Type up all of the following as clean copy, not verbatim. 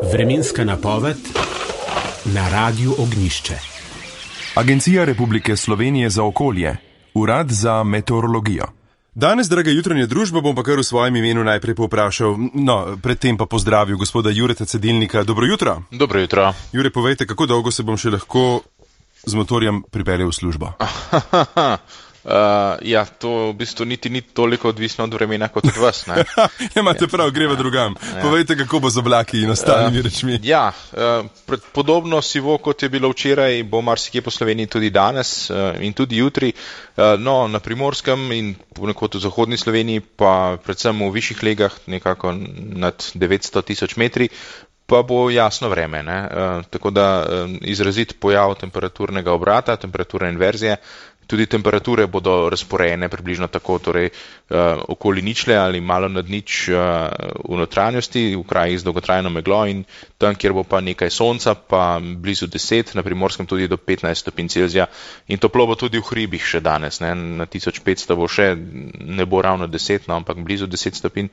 Vremenska napoved na Radiu Ognjišče. Agencija Republike Slovenije za okolje, Urad za meteorologijo. Danes, draga jutranja družba, bom pa kar v svojem imenu najprej povprašal, predtem pa pozdravil gospoda Jureta Cedilnika. Dobro jutro. Dobro jutro. Jure, povejte, kako dolgo se bom še lahko z motorjem pripeljal v službo? To v bistvu niti ni toliko odvisno od vremena kot od vas, ne? Imate prav, greva drugam. Povejte, kako bo z oblaki in ostalimi rečmi. Podobno sivo, kot je bilo včeraj, bo marsikje po Sloveniji tudi danes in tudi jutri. Na Primorskem in ponekod v zahodni Sloveniji, pa predvsem v višjih legah, nekako nad 900 tisoč metri, pa bo jasno vreme, ne? Tako da izrazit pojav temperaturnega obrata, temperaturne inverzije. Tudi temperature bodo razporejene približno tako, torej okoli ničle ali malo nad nič v notranjosti, v krajih z dolgotrajno meglo, in tam, kjer bo pa nekaj sonca, pa blizu 10, na Primorskem tudi do 15 stopinj Celzija. In toplo bo tudi v hribih še danes, ne? Na 1500 bo še, ne bo ravno 10, ampak blizu 10 stopinj.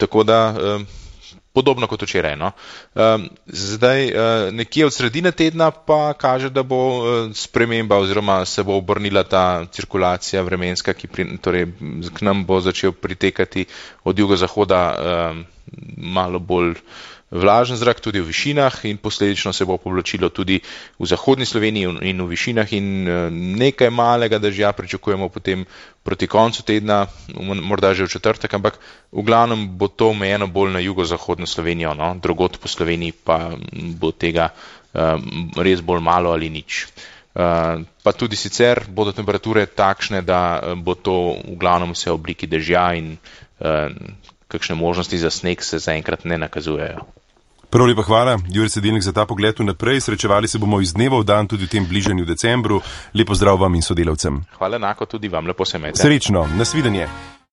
Tako da podobno kot včeraj, no. Zdaj, nekje od sredine tedna pa kaže, da bo sprememba oziroma se bo obrnila ta cirkulacija vremenska, torej k nam bo začel pritekati od jugozahoda malo bolj vlažen zrak, tudi v višinah, in posledično se bo povlačilo tudi v zahodni Sloveniji in v višinah, in nekaj malega dežja pričakujemo potem proti koncu tedna, morda že v četrtek, ampak v glavnem bo to omejeno bolj na jugozahodno Slovenijo, no? Drugod po Sloveniji pa bo tega res bolj malo ali nič. Pa tudi sicer bodo temperature takšne, da bo to v glavnem vse v obliki dežja in kakšne možnosti za sneg se zaenkrat ne nakazujejo. Prav lepa hvala, Jure Cedilnik, za ta pogled vnaprej. Srečevali se bomo iz dneva v dan tudi v tem bližanju decembru. Lepo zdrav vam in sodelavcem. Hvala enako tudi vam, lepo se imejte. Srečno, nasvidenje.